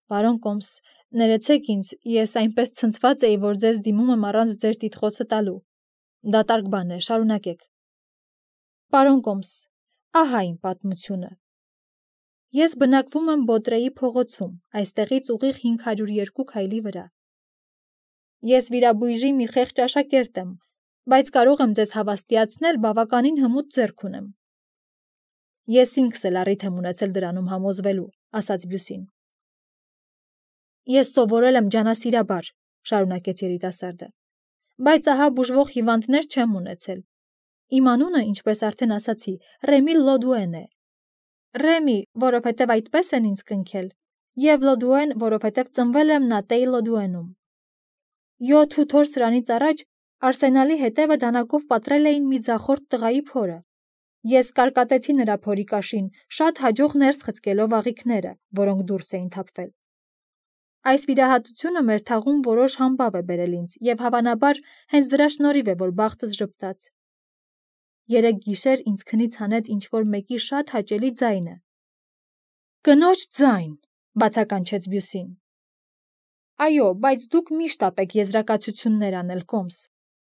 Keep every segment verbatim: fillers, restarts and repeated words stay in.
Պարոն Կոմս, ներեցեք ինձ, ես այնպես ցնցված էի, որ ձեզ դիմում եմ առանց ձեր տիտղոսը տալու։ Դատարկ բան է, շարունակեք։ Պարոն Կոմս, ահա իմ պատմությունը։ Ես բնակվում եմ Բոտրեի փողոցում, այստեղից ուղիղ հինգ հարյուր երկու քայլի վրա։ Ես վիրաբույժի մի խեղճ աշակերտ եմ, բայց կարող եմ ձեզ հավաստիացնել, բավականին հմուտ ձեռք ունեմ։ Ես ինքս էլ առիթ եմ ունեցել դրանում համոզվելու, ասաց Բյուսին։ Ես սովորել եմ ջանասիրաբար, շարունակեց երիտասարդը, բայց ահա բուժվող հիվանդներ չեմ ունեցել։ Իմ անունը, ինչպես արդեն ասացի, Ռեմի Լոդուեն է։ Ռեմի, որովհետև այդպես են ինձ կնքել, և Լոդուեն, որովհետև ծնվել եմ Նատեի Լոդուենում։ Յոթ ութ օր սրանից առաջ Արսենալի հետևը դանակով պատռել էին մի ձախորդ տղայի փորը։ Ես կարկատեցի նրա փորի կաշին, շատ հաջող ներս խցկելով աղիքները, որոնք դուրս էին թափվել։ Այս վիրահատությունը մեր թաղում որոշ համբավ է բերել ինձ, և հավանաբար հենց դրա շնորհիվ է, որ բախտս ժպտաց։ Երեկ գիշեր ինձ քնից հանեց ինչ-որ մեկի շատ հաճելի ձայնը։ Կնոջ ձայն, բացականչեց Բյուսին։ Այո, բայց դուք միշտ ապեք եզրակացություններ անել, Կոմս։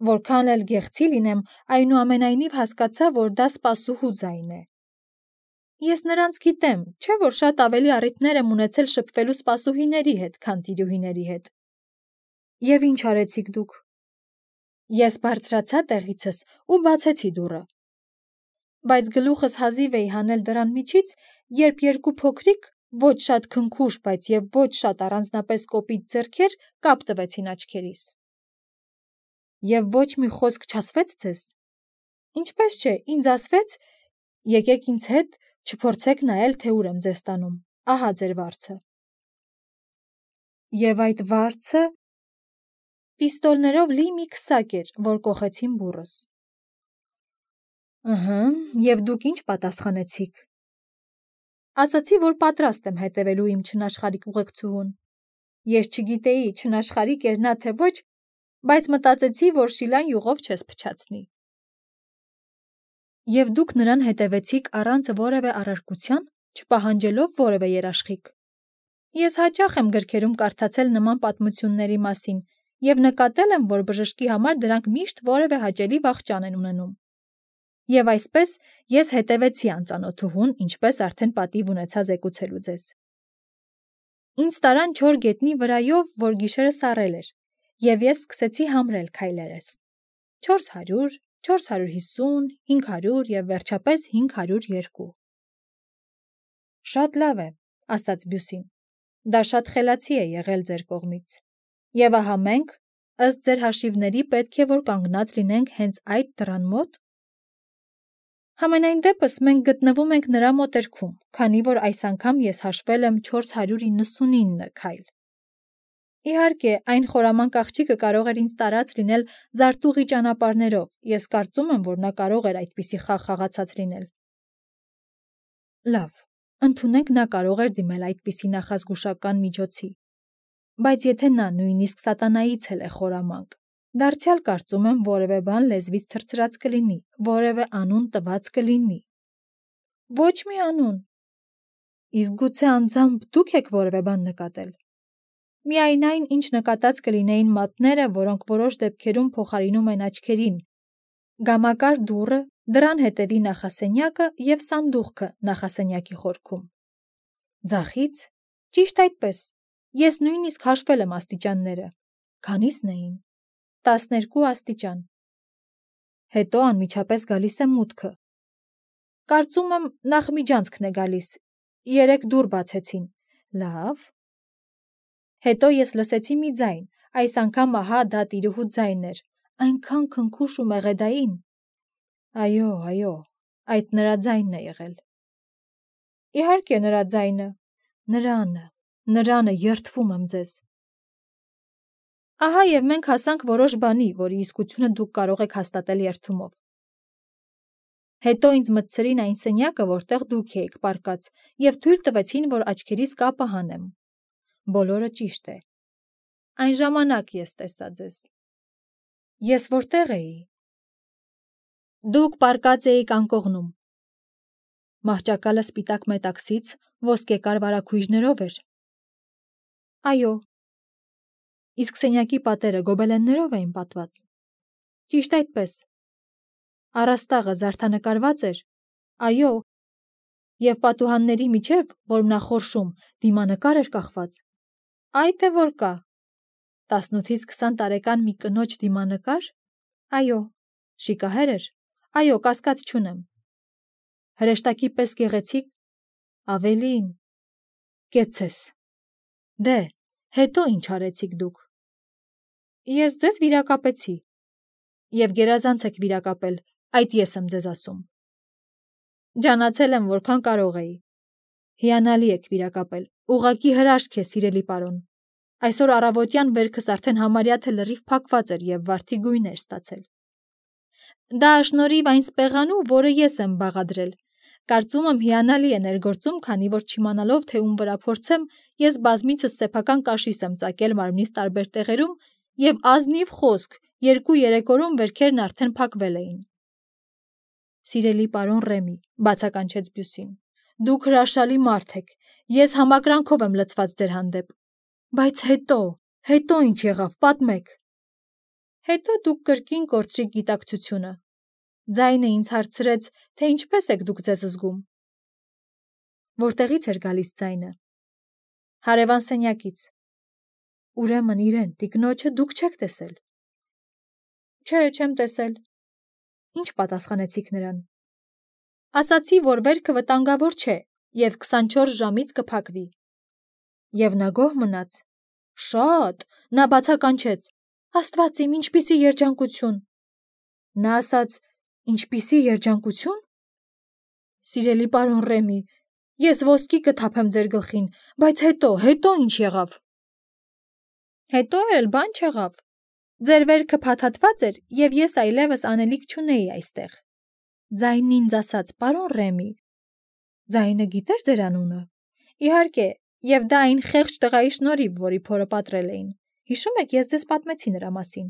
Որքան էլ գեղցի լինեմ, այնուամենայնիվ հասկացա, որ դա սպասուհու ձայն է։ Ես նրանց գիտեմ, չէ՞ որ շատ ավելի առիթներ եմ ունեցել շփվելու սպասուհիների հետ, քան տիրուհիների հետ։ Եվ ինչ արեցիք դուք։ Ես բարձրացա տեղիցս ու բացեցի դուռը։ Բայց գլուխս հազիվ էի հանել դռան միջից, երբ երկու փոքրիկ, ոչ շատ քնքուշ, բայց և ոչ շատ առանձնապես կոպիտ ձեռքեր կապ տվեցին աչքերիս։ Եվ ոչ մի խոսք չասվեց ձեզ։ Ինչպես չէ, ինձ ասվեց. եկեք ինձ հետ, չփորձեք նայել, թե ուր եմ ձեզ տանում, ահա ձեր վարձը։ Եվ այդ վարձը պիստոլներով լի մի քսակ էր, որ կոխեցին բուռս։ Ըհը, և դուք ինչ պատասխանեցիք։ Ասացի, որ պատրաստ եմ հետևելու իմ չնաշխարհիկ ուղեկցուհուն։ Ես չգիտեի, չնաշխարհիկ էր նա թե ոչ, բայց մտածեցի, որ շիլան յուղով չես փչացնի։ Եվ դուք նրան հետևեցիք առանց որևէ առարկության, չպահանջելով որևէ երաշխիք։ Ես հաճախ եմ գրքերում կարդացել նման պատմությունների մասին և նկատել եմ, որ բժշկի համար դրանք միշտ որևէ հաճելի վախճան են ունենում։ Եվ այսպես ես հետևեցի անծանոթուհուն, ինչպես արդեն պատիվ ունեցա զեկուցելու ձեզ։ Ինձ տարան չոր գետնի վրայով, որ գիշերը սառել էր, և ես սկսեցի համրել քայլերս։ չորս հարյուր, չորս հարյուր հիսուն, հինգ հարյուր և վերջապես հինգ հարյուր երկու։ Շատ լավ է, ասաց Բյուսին։ Դա շատ խելացի է եղել ձեր կողմից։ Եվ ահա մենք, ըստ ձեր հաշիվների, պետք է որ կանգնած լինենք հենց այդ դռան մոտ։ Համենայն դեպս մենք գտնվում ենք նրա մոտերքում, քանի որ այս անգամ ես հաշվել եմ չորս հարյուր իննսունինը քայլ։ Իհարկե, այն խորամանկ աղջիկը կարող էր ինձ տարած լինել զարտուղի ճանապարհներով, ես կարծում եմ, որ նա կարող էր այդպիսի խաղ խաղացած լինել։ Լավ, ընդունենք, նա կարող էր դիմել այդպիսի նախազգուշական միջոցի։ Բայց եթե նա նույնիսկ սատանայից էլ է խորամանկ, դարձյալ կարծում եմ որևէ բան լեզվից թռցրած կլինի, որևէ անուն տված կլինի։ Ոչ մի անուն։ Իսկ գուցե անձամբ դուք եք որևէ բան նկատել։ Միայն այն, ինչ նկատած կլինեին մատները, որոնք որոշ դեպքերում փոխարինում են աչքերին, գամակար դուռը, դռան հետևի նախասենյակը և սանդուղքը նախասենյակի խորքում։ Ձախից, ճիշտ այդպես, ես նույնիսկ հաշվել եմ աստիճանները։ Քանի՞սն էին։ տասներկու աստիճան։ Հետո անմիջապես գալիս է մուտքը։ Կարծում եմ նախմիջանցքն է գալիս։ Երեք դուռ բացեցին։ Լավ։ Հետո ես լսեցի մի ձայն, այս անգամ ահա դա տիրուհու ձայնն էր, այնքան քնքուշ ու մեղեդային։ Այո, այո, այդ նրա ձայնն է եղել։ Իհարկե նրա ձայնը, նրանը, նրանը, երդվում եմ ձեզ։ Ահա և մենք հասանք որոշ բանի, որի իսկությունը դուք կարող եք հաստատել երդումով։ Հետո ինձ մտցրին այն սենյակը, որտեղ դուք էիք պառկած, և թույլ տվեցին, որ աչքերիս կապը հանեմ։ Բոլորը ճիշտ է։ Այն ժամանակ ես տեսա ձեզ։ Ես որտե՞ղ էի։ Դուք պառկած էիք անկողնում։ Մահճակալը սպիտակ մետաքսից ոսկեկար վարագույրներով էր։ Այո։ Իսկ սենյակի պատերը գոբելեններով էին պատված։ Ճիշտ այդպես։ Առաստաղը զարդանկարված էր։ Այո։ Եվ պատուհանների միջև, որմնախորշում, դիմանկար էր կախված։ Այ թե որ կա։ տասնութից քսան տարեկան մի կնոջ դիմանկար։ Այո։ Շիկահեր էր։ Այո, կասկած չունեմ։ Հրեշտակի պես գեղեցիկ։ Ավելին։ Կեցես։ Դե, հետո ինչ արեցիք դուք։ Ես ձեզ վիրակապեցի։ Եվ գերազանց եք վիրակապել, այդ ես եմ ձեզ ասում։ Ջանացել եմ, որքան կարող էի։ Հիանալի եք վիրակապել, ուղղակի հրաշք է, սիրելի պարոն։ Այսօր առավոտյան վերքս արդեն համարյա թե լրիվ փակված էր և վարդի գույն էր ստացել։ Դա շնորհիվ այն սպեղանու, որը ես եմ բաղադրել։ Կարծում եմ հիանալի է ներգործում, քանի որ չիմանալով, թե ում վրա փորձեմ, ես բազմիցս սեփական կաշիս եմ ծակել մարմնիս տարբեր տեղերում և ազնիվ խոսք, երկու-երեք օրում վերքերն արդեն փակվել էին։ Սիրելի պարոն Ռեմի, բացականչեց Բյուսին, դուք հրաշալի մարդ եք, ես համակրանքով եմ լցված ձեր հանդեպ։ Բայց հետո, հետո ինչ եղավ, պատմեք։ Հետո դուք կրկին կորցրիք գիտակցությունը։ Ձայնը ինձ հարցրեց, թե ինչպես եք դուք ձեզ զգում։ Որտեղից էր գալիս ձայնը։ Հարևան սենյակից։ Ուրեմն իրեն, տիկնոջը դուք չեք տեսել։ Չէ, չեմ տեսել։ Ինչ պատասխանեցիք նրան։ Ասացի, որ վերքը վտանգավոր չէ և քսանչորս ժամից կփակվի։ Եվ նա գոհ մնաց։ Շատ, նա բացականչեց։ Աստված իմ, ինչպիսի երջանկություն։ Նա ասաց, ինչպիսի երջանկություն։ Սիրելի պարոն Ռեմի, ես ոսկի կթափեմ ձեր գլխին, բայց հետո, հետո ինչ եղավ։ Հետո էլ բան չեղավ։ Ձեր վերքը փաթաթված էր, և ես այլևս անելիք չունեի այստեղ։ Ձայնն ինձ ասաց, պարոն Ռեմի։ Ձայնը գիտեր ձեր անունը։ Իհարկե, և դա այն խեղճ տղայի շնորհիվ, որի փորը պատռել էին։ Հիշում եք, ես ձեզ պատմեցի նրա մասին։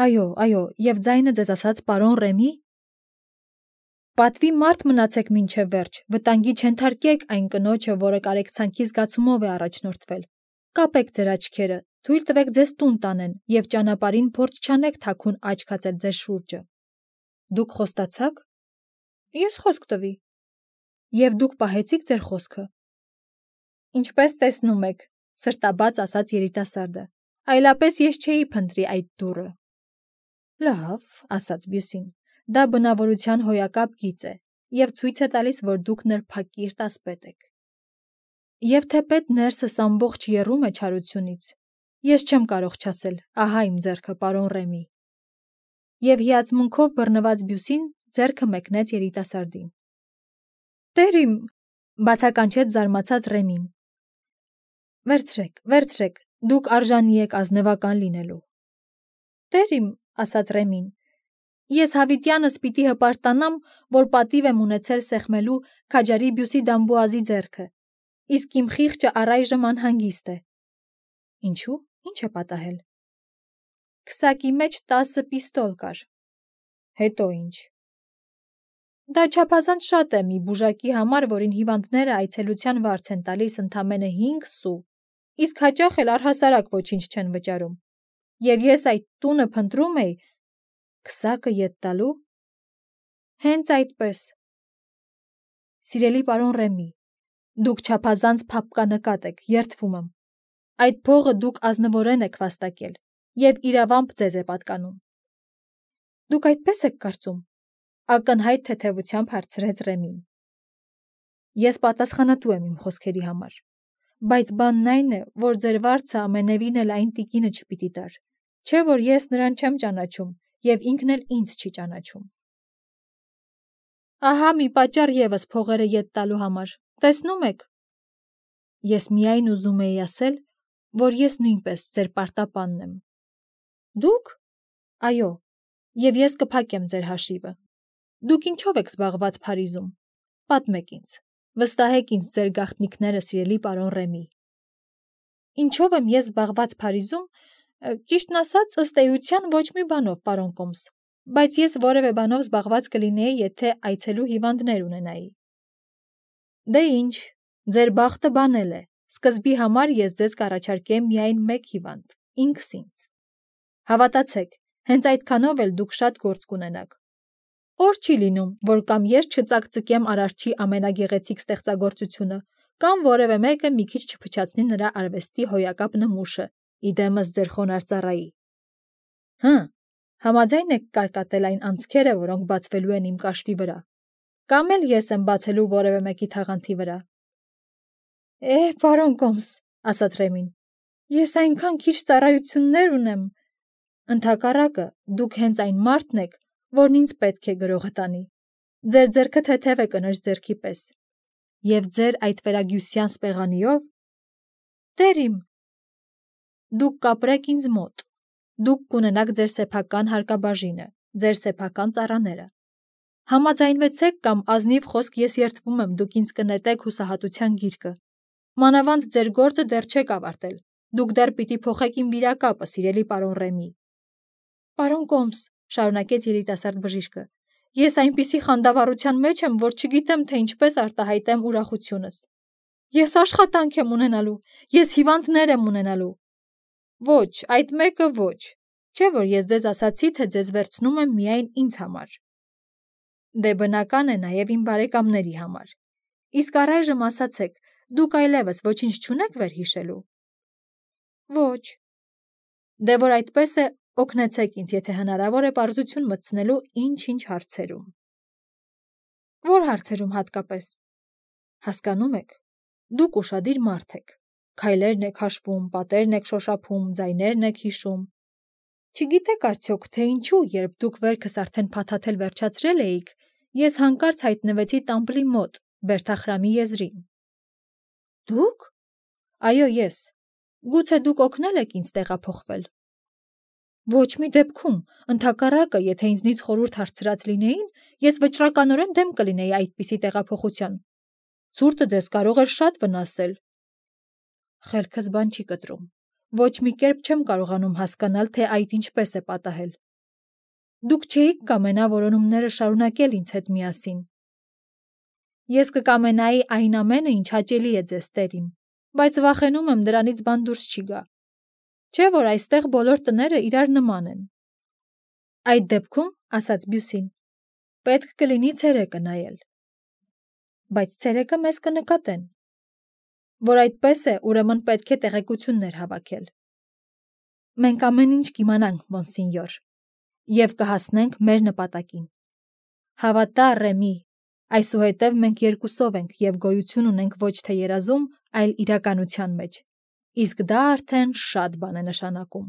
Այո, այո, և ձայնը ձեզ ասաց, պարոն Ռեմի։ Պատվի մարդ մնացեք մինչև վերջ, վտանգի չենթարկեք այն կնոջը, որը կարեկցանքի զգացումով է առաջնորդվել։ Կապեք ձեր աչքերը, թույլ տվեք ձեզ տուն տանեն և ճանապարհին փորձ չանեք թաքուն աչք հածել ձեր շուրջը։ Դուք խոստացաք։ Ես խոսք տվի։ Եվ դուք պահեցիք ձեր խոսքը։ Ինչպես տեսնում եք, սրտաբաց ասաց երիտասարդը, այլապես ես չէի փնտրի այդ դուռը։ Լավ, ասաց Բյուսին, դա բնավորության հոյակապ գիծ է և ցույց է տալիս, որ դուք նրբակիրթ ասպետ եք։ Եվ թեպետ ներսս ամբողջ եռում է չարությունից, ես չեմ կարող չասել, ահա իմ ձեռքը, պարոն Ռեմի։ Եվ հիացմունքով բռնված Բյուսին ձեռքը մեկնեց երիտասարդին։ Տեր իմ, բացականչեց զարմացած Ռեմին։ Վերցրեք, վերցրեք, դուք արժանի եք ազնվական լինելու։ Տեր իմ, ասաց Ռեմին, ես հավիտյանս պիտի հպարտանամ, որ պատիվ եմ ունեցել սեղմելու քաջարի Բյուսի Դամբուազի ձեռքը, իսկ իմ խիղճը առայժմ անհանգիստ է։ Ինչու՞, ինչ է պատահել։ Քսակի մեջ տասը պիստոլ կար։ Հետո ինչ։ Դա չափազանց շատ է մի բուժակի համար, որին հիվանդները այցելության վարձ են տալիս ընդամենը հինգ սու, իսկ հաճախ էլ առհասարակ ոչինչ չեն վճարում։ Եվ ես այդ տունը փնտրում էի, քսակը ետ տալու։ Հենց այդպես։ Սիրելի պարոն Ռեմի, դուք չափազանց փափկանկատ եք, երդվում եմ։ Այդ փողը դուք ազնվորեն եք վաստակել, և իրավամբ ձեզ է պատկանում։ Դուք այդպես եք կարծում, ակնհայտ թեթևությամբ հարցրեց Ռեմին։ Ես պատասխանատու եմ իմ խոսքերի համար, բայց բանն այն է, որ ձեր վարձը ամենևին էլ այն տիկինը չպիտի տար, չէ որ ես նրան չեմ ճանաչում և ինքն էլ ինձ չի ճանաչում։ Ահա մի պատճառ ևս փողերը ետ տալու համար, տեսնում եք։ Ես միայն ուզում էի ասել, որ ես նույնպես ձեր պարտապանն եմ։ Դուք։ Այո, և ես կփակեմ ձեր հաշիվը։ Դուք ինչով եք զբաղված Փարիզում։ Պատմեք ինձ, վստահեք ինձ ձեր գաղտնիքները, սիրելի պարոն Ռեմի։ Ինչով եմ ես զբաղված Փարիզում, ճիշտն ասած, ըստ էության ոչ մի բանով, պարոն Կոմս, բայց ես որևէ բանով զբաղված կլինեի, եթե այցելու հիվանդներ ունենայի։ Դե ինչ, ձեր բախտը բանել է, Սկզբի համար ես ձեզ կառաջարկեմ միայն մեկ հիվանդ, ինքս ինձ։ Հավատացեք, հենց այդքանով էլ դուք շատ գործ կունենաք։ Օր չի լինում, որ կամ ես չծակծկեմ Արարչի ամենագեղեցիկ ստեղծագործությունը, կամ որևէ մեկը մի քիչ չփչացնի նրա արվեստի հոյակապ նմուշը, իդեմս ձեր խոնարհ ծառայի։ Հը, համաձայն եք կարկատել այն անցքերը, որոնք բացվելու են իմ կաշվի վրա, կամ էլ ես եմ բացելու որևէ մեկի թաղանթի վրա։ Է, պարոն Կոմս, ասաց Ռեմին, ես այնքան քիչ ծառայություններ ունեմ։ Ընդհակառակը, դուք հենց այն մարդն եք, որն ինձ պետք է գրողը տանի։ Ձեր ձեռքը թեթև է կնոջ ձեռքի պես։ Եվ ձեր այդ վերագյուսյան սպեղանիով, Տեր իմ, դուք կապրեք ինձ մոտ, դուք կունենաք ձեր սեփական հարկաբաժինը, ձեր սեփական ծառաները։ Համաձայնվեցեք կամ ազնիվ խոսք ես երդվում եմ, դուք ինձ կնետեք հուսահատության գիրկը։ Մանավանդ ձեր գործը դեռ չեք ավարտել, դուք դեռ պիտի փոխեք իմ վիրակապը, սիրելի պարոն Ռեմի։ Պարոն Կոմս, շարունակեց երիտասարդ բժիշկը, ես այնպիսի խանդավառության մեջ եմ, որ չգիտեմ, թե ինչպես արտահայտեմ ուրախությունս։ Ես աշխատանք եմ ունենալու, ես հիվանդներ եմ ունենալու։ Ոչ, այդ մեկը ոչ, չէ՞ որ ես ձեզ ասացի, թե ձեզ վերցնում եմ միայն ինձ համար։ Դե բնական է նաև իմ բարեկամների համար։ Իսկ առայժմ ասացեք, դուք այլևս ոչինչ չունեք վերհիշելու։ Ոչ։ Դե որ այդպես է, օգնեցեք ինձ, եթե հնարավոր է պարզություն մտցնելու ինչ-ինչ հարցերում։ Որ հարցերում հատկապես։ Հասկանում եք, դուք ուշադիր մարդ եք, քայլերն եք հաշվում, պատերն եք շոշափում, ձայներն եք հիշում։ Չգիտեք արդյոք, թե ինչու, երբ դուք վերքս արդեն փաթաթել վերջացրել էիք, ես հանկարծ հայտնվեցի Տամպլի մոտ, Բերթախրամի եզրին։ Դուք։ Այո, ես։ Գուցե դուք օգնել եք ինձ տեղափոխվել։ Ոչ մի դեպքում, ընդհակառակը, եթե ինձնից խորհուրդ հարցրած լինեին, ես վճռականորեն դեմ կլինեի այդպիսի տեղափոխության։ Ցուրտը ձեզ կարող էր շատ վնասել։ Խելքս բան չի կտրում։ Ոչ մի կերպ չեմ կարողանում հասկանալ, թե այդ ինչպես է պատահել։ Դուք չէիք կամենա որոնումները շարունակել ինձ հետ միասին։ Ես կկամենայի այն ամենը, ինչ հաճելի է ձեզ, Տեր իմ, բայց վախենում եմ դրանից բան դուրս չի գա։ Չէ՞ որ այստեղ բոլոր տները իրար նման են։ Այդ դեպքում, ասաց Բյուսին, պետք կլինի ցերեկը նայել։ Բայց ցերեկը մեզ կնկատեն։ Որ այդպես է, ուրեմն պետք է տեղեկություններ հավաքել։ Մենք ամեն ինչ կիմանանք, մոնսինյոր, և կհասնենք մեր նպատակին։ Հավատա, Ռեմի, այսուհետև մենք երկուսով ենք և գոյություն ունենք ոչ թե երազում, այլ իրականության մեջ, իսկ դա արդեն շատ բան է նշանակում։